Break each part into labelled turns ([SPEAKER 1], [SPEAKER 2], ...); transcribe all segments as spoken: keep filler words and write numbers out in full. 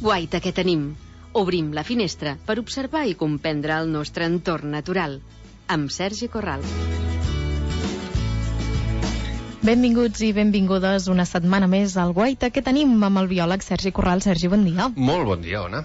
[SPEAKER 1] guaita que tenim. Obrim la finestra per observar i comprendre el nostre entorn natural. Amb Sergi Corral.
[SPEAKER 2] Benvinguts i benvingudes una setmana més al Guaita que tenim amb el biòleg Sergi Corral. Sergi, bon dia.
[SPEAKER 3] Molt bon dia, Ona.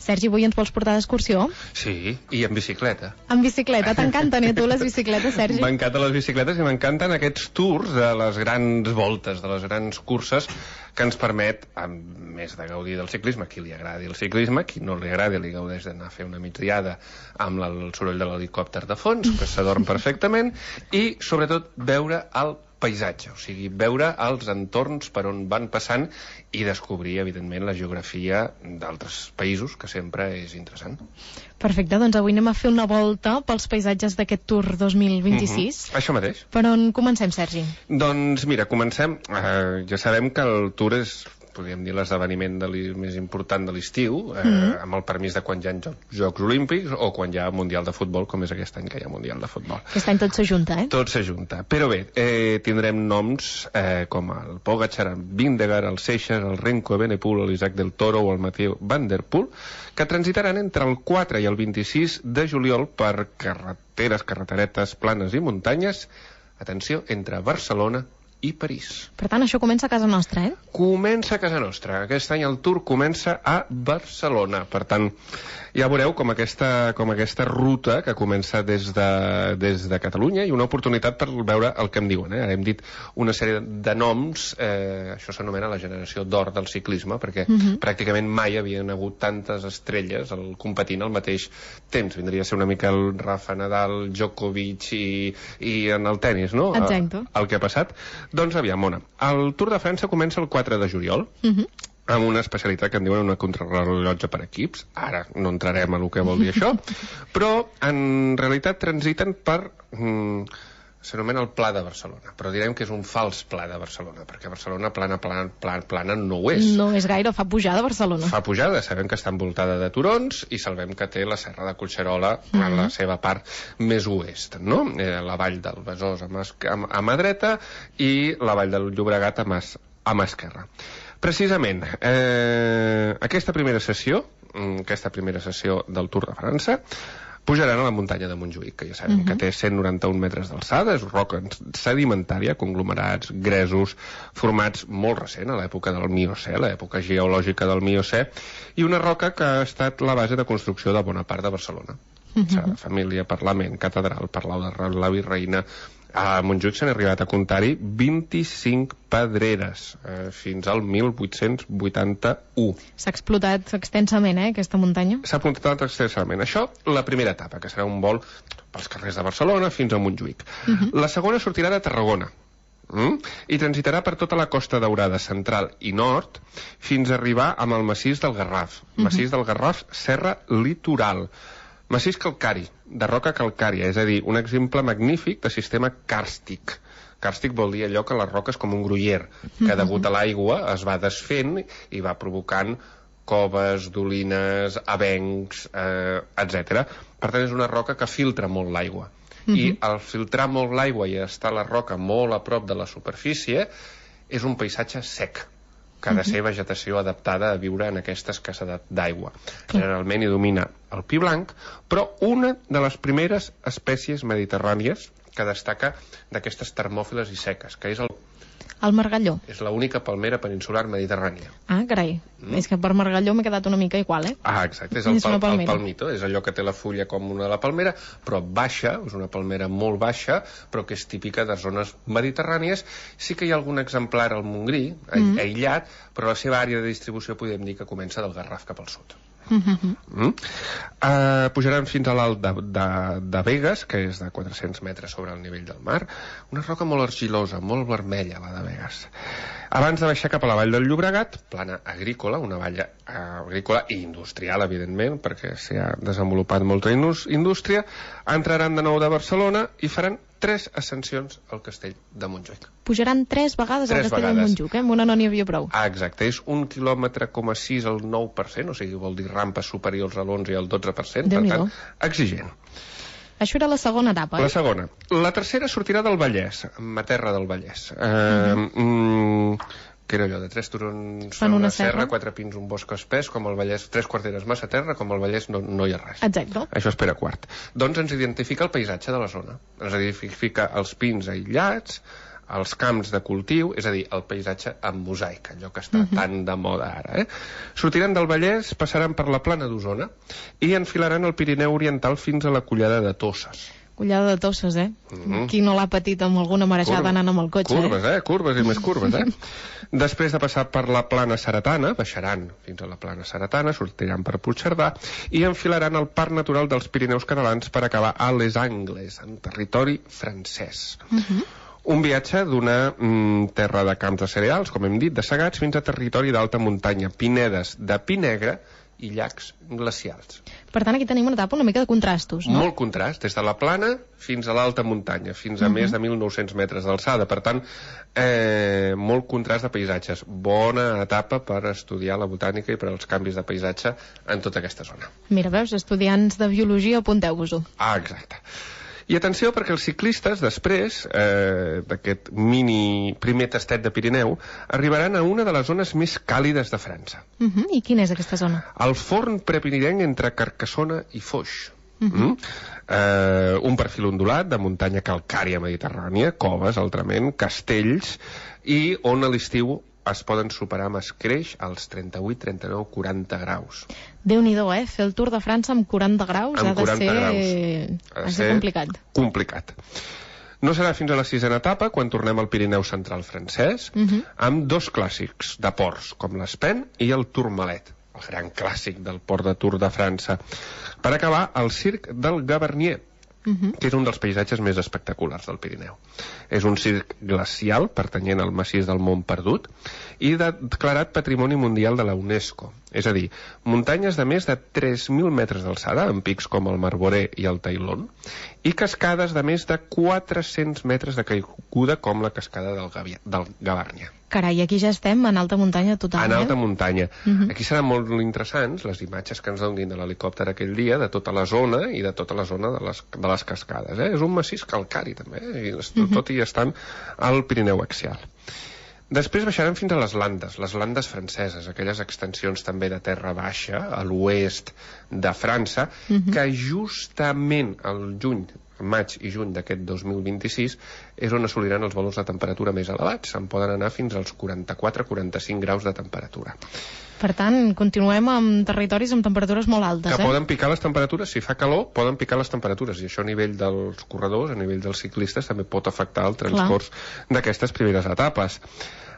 [SPEAKER 2] Sergi, avui ens vols portar d'excursió?
[SPEAKER 3] Sí, i en bicicleta.
[SPEAKER 2] En bicicleta? T'encanten, eh, tu, les bicicletes, Sergi?
[SPEAKER 3] M'encanten les bicicletes i m'encanten aquests tours de les grans voltes, de les grans curses que ens permet, a més de gaudir del ciclisme, a qui li agradi el ciclisme, a qui no li agradi li gaudeix d'anar a fer una migdiada amb el soroll de l'helicòpter de fons, que s'adorm perfectament, i sobretot veure el paisatge, o sigui, veure els entorns per on van passant i descobrir, evidentment, la geografia d'altres països, que sempre és interessant.
[SPEAKER 2] Perfecte, doncs avui anem a fer una volta pels paisatges d'aquest Tour dos mil vint-i-sis.
[SPEAKER 3] Mm-hmm. Això mateix.
[SPEAKER 2] Per on comencem, Sergi?
[SPEAKER 3] Doncs mira, comencem. Eh, ja sabem que el Tour és, podríem dir, l'esdeveniment més important de l'estiu, eh, mm-hmm. amb el permís de quan hi ha Jocs, Jocs Olímpics o quan hi ha Mundial de Futbol, com és aquest any que hi ha Mundial de Futbol.
[SPEAKER 2] Aquest any tot s'ajunta, eh?
[SPEAKER 3] Tot s'ajunta. Però bé, eh, tindrem noms eh, com el Pogačar, el Vingegaard, el Seixas, el Renko Evenepoel, l'Isaac del Toro o el Mathieu Van Der Poel, que transitaran entre el quatre i el vint-i-sis de juliol per carreteres, carreteretes planes i muntanyes, atenció, entre Barcelona i París.
[SPEAKER 2] Per tant, això comença a casa nostra, eh?
[SPEAKER 3] Comença a casa nostra. Aquest any el Tour comença a Barcelona. Per tant, ja veureu com aquesta, com aquesta ruta que comença des de, des de Catalunya i una oportunitat per veure el que em diuen. Eh? Ara hem dit una sèrie de noms, eh, això s'anomena la generació d'or del ciclisme, perquè uh-huh. pràcticament mai havien hagut tantes estrelles el, competint al mateix temps. Vindria a ser una mica el Rafa Nadal, Djokovic i, i en el tennis, no?
[SPEAKER 2] Exacte.
[SPEAKER 3] El, el que ha passat. Doncs aviam, Mona, el Tour de França comença el quatre de juliol, uh-huh. amb una especialitat que en diuen una contrarrellotge per equips. Ara no entrarem a el que vol dir això, però en realitat transiten per... Mm, s'anomena el Pla de Barcelona, però direm que és un fals Pla de Barcelona, perquè Barcelona plana, plana, plana, plana no ho és.
[SPEAKER 2] No és gaire, fa pujada Barcelona.
[SPEAKER 3] Fa pujada, sabem que està envoltada de turons i sabem que té la serra de Collserola mm-hmm. a la seva part més oest, no? Eh, la vall del Besòs a mà, a, a mà dreta i la vall del Llobregat a mà, a mà esquerra. Precisament, eh, aquesta primera sessió, aquesta primera sessió del Tour de França, pujaran a la muntanya de Montjuïc, que ja sabem uh-huh. que té cent noranta-un metres d'alçada, és roca sedimentària, conglomerats, gresos, formats molt recent, a l'època del Miocè, l'època geològica del Miocè, i una roca que ha estat la base de construcció de bona part de Barcelona. Uh-huh. Serà família, Parlament, Catedral, Palau de la Virreina. A Montjuïc s'han arribat a comptar-hi vint-i-cinc pedreres, eh, fins al mil vuit-cents vuitanta-u.
[SPEAKER 2] S'ha explotat extensament, eh, aquesta muntanya?
[SPEAKER 3] S'ha explotat extensament. Això, la primera etapa, que serà un vol pels carrers de Barcelona fins a Montjuïc. Uh-huh. La segona sortirà de Tarragona, mm? i transitarà per tota la Costa Daurada central i nord fins a arribar amb el massís del Garraf. Uh-huh. Massís del Garraf, Serra Litoral. Massís calcari, de roca calcària, és a dir, un exemple magnífic de sistema càrstic. Càrstic vol dir allò que les roques com un gruyer, que degut a l'aigua es va desfent i va provocant coves, dolines, avencs, eh, etcètera. Per tant, és una roca que filtra molt l'aigua. Uh-huh. I al filtrar molt l'aigua i estar la roca molt a prop de la superfície, és un paisatge sec, que ha de ser vegetació adaptada a viure en aquesta escassedat d'aigua. Generalment hi domina el pi blanc, però una de les primeres espècies mediterrànies que destaca d'aquestes termòfiles i seques, que és el...
[SPEAKER 2] El margalló.
[SPEAKER 3] És l'única palmera peninsular mediterrània.
[SPEAKER 2] Ah, carai. Mm. És que per margalló m'he quedat una mica igual, eh?
[SPEAKER 3] Ah, exacte. És el, pal el palmito. És allò que té la fulla com una de la palmera, però baixa, és una palmera molt baixa, però que és típica de zones mediterrànies. Sí que hi ha algun exemplar al Montgrí, mm. aïllat, però la seva àrea de distribució podem dir que comença del Garraf cap al sud. Mm-hmm. mm? uh, pujaran fins a l'alt de, de, de Begues, que és de quatre-cents metres sobre el nivell del mar, una roca molt argilosa, molt vermella, la de Begues. Abans de baixar cap a la vall del Llobregat, plana agrícola, una vall uh, agrícola i industrial, evidentment, perquè s'hi ha desenvolupat molta indústria, entraran de nou de Barcelona i faran tres ascensions al castell de Montjuïc.
[SPEAKER 2] Pujaran tres vegades
[SPEAKER 3] tres
[SPEAKER 2] al castell
[SPEAKER 3] vegades.
[SPEAKER 2] de Montjuïc, eh? Amb una no n'hi havia prou.
[SPEAKER 3] Ah, exacte, és un quilòmetre coma sis al nou per cent, o sigui, vol dir rampes superiors a l'onze i al dotze per cent, per tant, exigent.
[SPEAKER 2] Això era la segona etapa.
[SPEAKER 3] La segona. La tercera sortirà del Vallès, ma terra del Vallès. Eh, mm. que era allò de tres turons
[SPEAKER 2] Fan
[SPEAKER 3] una,
[SPEAKER 2] una
[SPEAKER 3] serra,
[SPEAKER 2] serra,
[SPEAKER 3] quatre pins, un bosc espès, com el Vallès, tres quarteres massa terra, com el Vallès no, no hi ha res.
[SPEAKER 2] Exacte.
[SPEAKER 3] Això és Pere quart. Doncs ens identifica el paisatge de la zona. Ens identifica els pins aïllats, els camps de cultiu, és a dir, el paisatge en mosaic, allò que està uh-huh. tan de moda ara. Eh? Sortiran del Vallès, passaran per la plana d'Osona i enfilaran el Pirineu Oriental fins a la Collada de Tosses.
[SPEAKER 2] Collada de Tosses, eh?
[SPEAKER 3] Mm-hmm.
[SPEAKER 2] Qui no l'ha patit amb alguna marejada
[SPEAKER 3] Curva.
[SPEAKER 2] anant amb el cotxe,
[SPEAKER 3] curves,
[SPEAKER 2] eh?
[SPEAKER 3] eh? Curves i més curves, eh? Després de passar per la plana Seretana, baixaran fins a la plana Seretana, sortiran per Puigcerdà i enfilaran el Parc Natural dels Pirineus Catalans per acabar a Les Angles, en territori francès.
[SPEAKER 2] Uh-huh.
[SPEAKER 3] Un viatge d'una mm, terra de camps de cereals, com hem dit, de segats, fins a territori d'alta muntanya, pinedes de pi negre i llacs glacials.
[SPEAKER 2] Per tant, aquí tenim una etapa una mica de contrastos, no?
[SPEAKER 3] Molt contrast, des de la plana fins a l'alta muntanya, fins a uh-huh. més de mil nou-cents metres d'alçada. Per tant, eh, molt contrast de paisatges. Bona etapa per estudiar la botànica i per als canvis de paisatge en tota aquesta zona.
[SPEAKER 2] Mira, veus, estudiants de biologia, apunteu-vos-ho.
[SPEAKER 3] Ah, exacte. I atenció, perquè els ciclistes, després eh, d'aquest mini primer tastet de Pirineu, arribaran a una de les zones més càlides de França.
[SPEAKER 2] Uh-huh. I quina és aquesta zona?
[SPEAKER 3] El forn prepiridenc entre Carcassona i Foix.
[SPEAKER 2] Uh-huh.
[SPEAKER 3] mm? eh, un perfil ondulat de muntanya calcària mediterrània, coves, altrament, castells, i on a l'estiu es poden superar amb escreix als trenta-vuit, trenta-nou, quaranta graus.
[SPEAKER 2] Déu-n'hi-do, eh? Fer el Tour de França amb quaranta graus
[SPEAKER 3] amb
[SPEAKER 2] ha de
[SPEAKER 3] quaranta
[SPEAKER 2] ser...
[SPEAKER 3] graus.
[SPEAKER 2] Ha de ser complicat.
[SPEAKER 3] Complicat. No serà fins a la sisena etapa, quan tornem al Pirineu central francès,
[SPEAKER 2] Uh-huh.
[SPEAKER 3] amb dos clàssics de ports, com l'Espen i el Tourmalet, el gran clàssic del port de Tour de França, per acabar al circ del Gavarnier,
[SPEAKER 2] Uh-huh.
[SPEAKER 3] que és un dels paisatges més espectaculars del Pirineu. És un circ glacial pertanyent al massís del Mont Perdut i declarat Patrimoni Mundial de la UNESCO. És a dir, muntanyes de més de tres mil metres d'alçada, amb pics com el Marboré i el Tailón, i cascades de més de quatre-cents metres de caiguda, com la cascada del, Gavi del Gavarnia.
[SPEAKER 2] Carai, aquí ja estem en alta muntanya total,
[SPEAKER 3] En alta
[SPEAKER 2] eh?
[SPEAKER 3] muntanya.
[SPEAKER 2] Uh-huh.
[SPEAKER 3] Aquí seran molt interessants les imatges que ens donin de l'helicòpter aquell dia, de tota la zona i de tota la zona de les, de les cascades. Eh? És un massís calcari, també, eh? I uh-huh. tot i estan al Pirineu axial. Després baixaran fins a les Landes, les Landes franceses, aquelles extensions també de terra baixa, a l'oest de França, uh-huh. que justament al juny, maig i juny d'aquest dos mil vint-i-sis és on assoliran els valors de temperatura més elevats. Se'n poden anar fins als quaranta-quatre a quaranta-cinc graus de temperatura.
[SPEAKER 2] Per tant, continuem amb territoris amb temperatures molt altes,
[SPEAKER 3] que
[SPEAKER 2] eh?
[SPEAKER 3] poden picar les temperatures, si fa calor, poden picar les temperatures, i això a nivell dels corredors, a nivell dels ciclistes, també pot afectar el transcurs d'aquestes primeres etapes.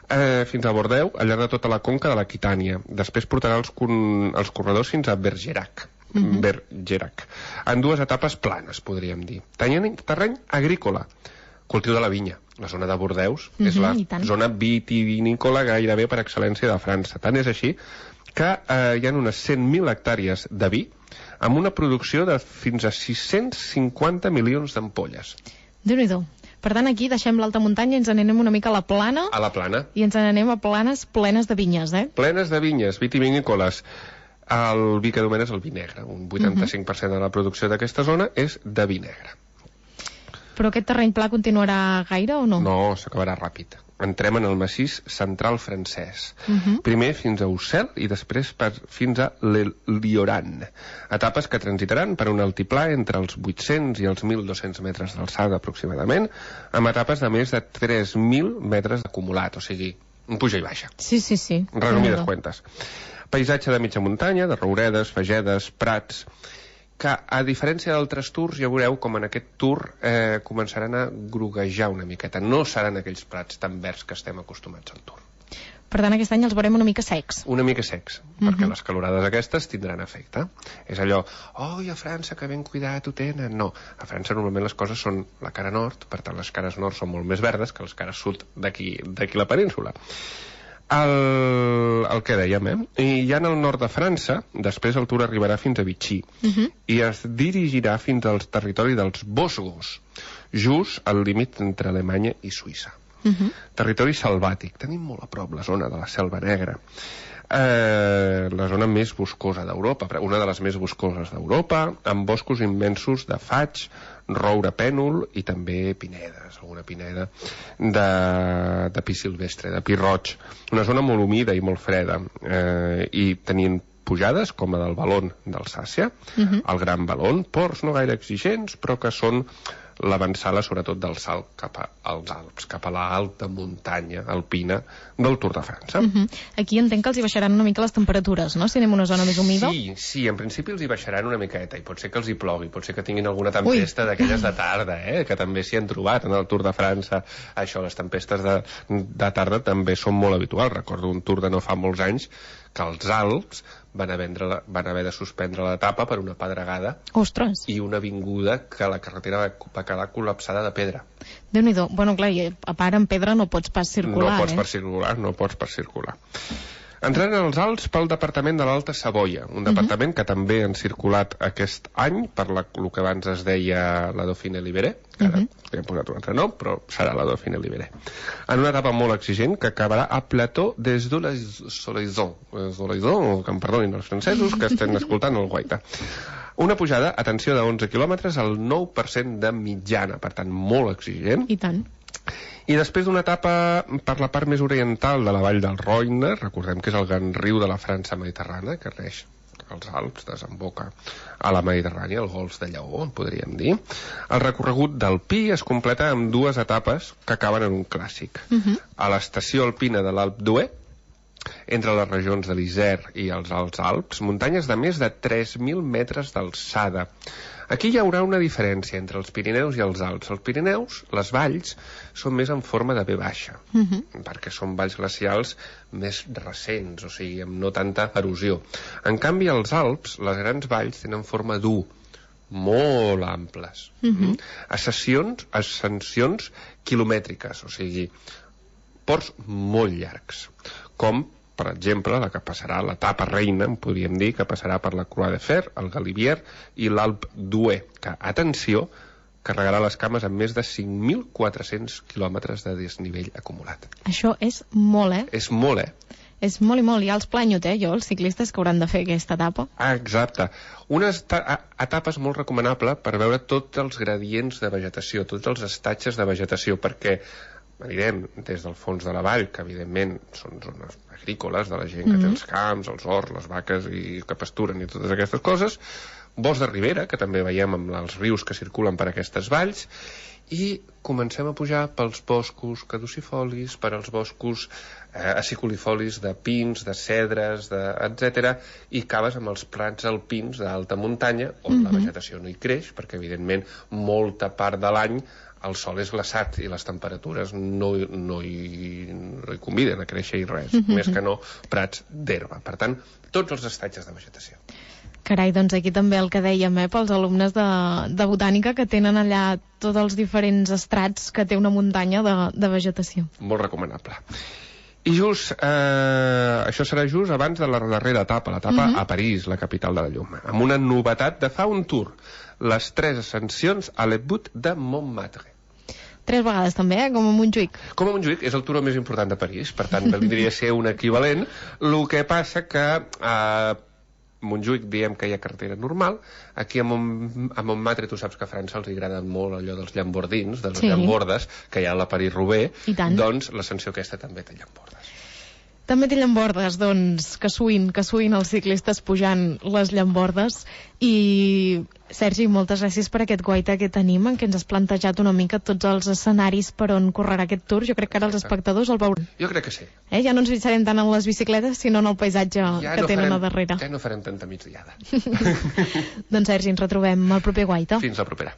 [SPEAKER 3] Eh, fins a Bordeus, al llarg de tota la conca de l'Aquitània. Després portarà els, els corredors fins a Bergerac. Uh-huh. Bergerac. En dues etapes planes, podríem dir. Tenien terreny agrícola, cultiu de la vinya. La zona de Bordeus uh-huh, és la zona vitivinícola gairebé per excel·lència de França. Tant és així que eh, hi ha unes cent mil hectàrees de vi amb una producció de fins a sis-cents cinquanta milions d'ampolles.
[SPEAKER 2] Déu-n'hi-do. Per tant, aquí deixem l'alta muntanya i ens n'anem una mica a la plana.
[SPEAKER 3] A la plana.
[SPEAKER 2] I ens n'anem a planes plenes de vinyes, eh?
[SPEAKER 3] Plenes de vinyes, vitivinícoles. El vi que domina és el vi negre. Un vuitanta-cinc per cent de la producció d'aquesta zona és de vi negre.
[SPEAKER 2] Però aquest terreny pla continuarà gaire o no?
[SPEAKER 3] No, s'acabarà ràpid. Entrem en el massís central francès.
[SPEAKER 2] Uh-huh.
[SPEAKER 3] Primer fins a Ussel i després per, fins a l'Lioran. Etapes que transitaran per un altiplà entre els vuit-cents i els mil dos-cents metres d'alçada aproximadament, amb etapes de més de tres mil metres d'acumulat, o sigui, un puja i baixa.
[SPEAKER 2] Sí, sí, sí.
[SPEAKER 3] Resumides cuentes. Paisatge de mitja muntanya, de rouredes, fagedes, prats, que a diferència d'altres tours ja veureu com en aquest tour eh, començaran a groguejar una miqueta. No seran aquells prats tan verds que estem acostumats al tour.
[SPEAKER 2] Per tant, aquest any els veurem una mica secs.
[SPEAKER 3] Una mica secs,
[SPEAKER 2] Uh-huh.
[SPEAKER 3] perquè les calorades aquestes tindran efecte. És allò, oi, a França que ben cuidat ho tenen. No, a França normalment les coses són la cara nord, per tant les cares nord són molt més verdes que les cares sud d'aquí d'aquí la península. El, el que dèiem, eh? I ja en el nord de França, després el tour arribarà fins a Vichy
[SPEAKER 2] uh-huh.
[SPEAKER 3] i es dirigirà fins al territori dels Vosgos, just al límit entre Alemanya i Suïssa.
[SPEAKER 2] Uh-huh.
[SPEAKER 3] Territori selvàtic. Tenim molt a prop la zona de la Selva Negra. Eh, la zona més boscosa d'Europa, una de les més boscoses d'Europa, amb boscos immensos de faig, roure pènol i també pinedes, alguna pineda de, de pi silvestre, de pi roig. Una zona molt humida i molt freda, eh, i tenint pujades com la del Valon d'Alsàcia, uh-huh. el Gran Valon, ports no gaire exigents, però que són l'avançada sobretot del salt cap als Alps, cap a l'alta muntanya alpina del Tour de França.
[SPEAKER 2] Uh-huh. Aquí entenc que els hi baixaran una mica les temperatures, no? Si anem a una zona més humida.
[SPEAKER 3] Sí, sí, en principi els hi baixaran una miqueta, i pot ser que els hi plogui, pot ser que tinguin alguna tempesta d'aquelles de tarda, eh? Que també s'hi han trobat en el Tour de França. Això, les tempestes de, de tarda també són molt habituals. Recordo un Tour de no fa molts anys que els Alps van haver, la, van haver de suspendre l'etapa per una pedregada.
[SPEAKER 2] Ostres.
[SPEAKER 3] I una avinguda que la carretera va quedar col·lapsada de pedra.
[SPEAKER 2] Déu-n'hi-do. Bueno, clar, a part en pedra no pots pas circular,
[SPEAKER 3] no pots
[SPEAKER 2] eh?
[SPEAKER 3] per circular, no pots per circular. Entrant als Alps pel departament de l'Alta Savoia, un departament uh-huh. que també han circulat aquest any per la, el que abans es deia la Dauphiné Libéré, que ara uh-huh. li hem posat un altre nom, però serà la Dauphiné Libéré. En una etapa molt exigent que acabarà a Plateau des de la Solaison, Solaison, que em perdonin els francesos que estem escoltant el guaita. Una pujada, atenció, de onze quilòmetres al nou per cent de mitjana, per tant, molt exigent.
[SPEAKER 2] I tant.
[SPEAKER 3] I després d'una etapa per la part més oriental de la vall del Roine, recordem que és el gran riu de la França mediterrània, que reix als Alps, desemboca a la Mediterrània, el Golf de Lleó, en podríem dir. El recorregut del Pi es completa amb dues etapes que acaben en un clàssic. Uh-huh. A l'estació alpina de l'Alp d'Huez, entre les regions de l'Isère i els Alts Alps, muntanyes de més de tres mil metres d'alçada. Aquí hi haurà una diferència entre els Pirineus i els Alps. Els Pirineus, les valls, són més en forma de V baixa, uh-huh. perquè són valls glacials més recents, o sigui, amb no tanta erosió. En canvi, als Alps, les grans valls tenen forma d'U, molt amples. Uh-huh. Ascensions, ascensions quilomètriques, o sigui, ports molt llargs, com per exemple, la que passarà l'etapa reina, podríem dir, que passarà per la Croix de Fer, el Galibier i l'Alp d'Huez, que, atenció, carregarà les cames amb més de cinc mil quatre-cents quilòmetres de desnivell acumulat.
[SPEAKER 2] Això és molt, eh?
[SPEAKER 3] És molt, eh?
[SPEAKER 2] És molt i molt. Hi ha els planyot, eh, jo, els ciclistes que hauran de fer aquesta etapa.
[SPEAKER 3] Ah, exacte. Una etapa molt recomanable per veure tots els gradients de vegetació, tots els estatges de vegetació, perquè anirem des del fons de la vall, que evidentment són zones agrícoles, de la gent que mm-hmm. té els camps, els horts, les vaques i que pasturen i totes aquestes coses, bosc de ribera, que també veiem amb els rius que circulen per aquestes valls, i comencem a pujar pels boscos caducifolis, per als boscos eh, aciculifolis de pins, de cedres, de, etcètera, i acabes amb els prats alpins d'alta muntanya, on mm-hmm. la vegetació no hi creix, perquè evidentment molta part de l'any el sol és glaçat i les temperatures no, no, hi, no hi conviden a créixer i res, mm-hmm. més que no prats d'herba. Per tant, tots els estatges de vegetació.
[SPEAKER 2] Carai, doncs aquí també el que dèiem, eh, pels alumnes de, de botànica que tenen allà tots els diferents estrats que té una muntanya de, de vegetació.
[SPEAKER 3] Molt recomanable. I just, eh, això serà just abans de la darrera etapa, l'etapa uh-huh. a París, la capital de la llum, amb una novetat de fa un tour, les tres ascensions a l'Ebut de Montmartre.
[SPEAKER 2] Tres vegades també, eh? Com a Montjuïc.
[SPEAKER 3] Com a Montjuïc, és el turó més important de París, per tant, vindria a ser un equivalent. El que passa que a Montjuïc diem que hi ha carretera normal, aquí a, Mont a Montmartre tu saps que a França els agrada molt allò dels llambordins, de les sí. llambordes, que hi ha a la París-Roubaix, doncs l'ascensió aquesta també té llambordes.
[SPEAKER 2] També té llambordes, doncs, que suïn, que suïn els ciclistes pujant les llambordes. I, Sergi, moltes gràcies per aquest guaita que tenim, en què ens has plantejat una mica tots els escenaris per on correrà aquest tour. Jo crec que ara els espectadors el veuran.
[SPEAKER 3] Jo crec que sí.
[SPEAKER 2] Eh? Ja no ens fixarem tant en les bicicletes, sinó en el paisatge
[SPEAKER 3] ja
[SPEAKER 2] que
[SPEAKER 3] no
[SPEAKER 2] tenen
[SPEAKER 3] farem,
[SPEAKER 2] a darrere.
[SPEAKER 3] Ja no farem tanta migdiada.
[SPEAKER 2] Doncs, Sergi, ens retrobem al proper guaita.
[SPEAKER 3] Fins la propera.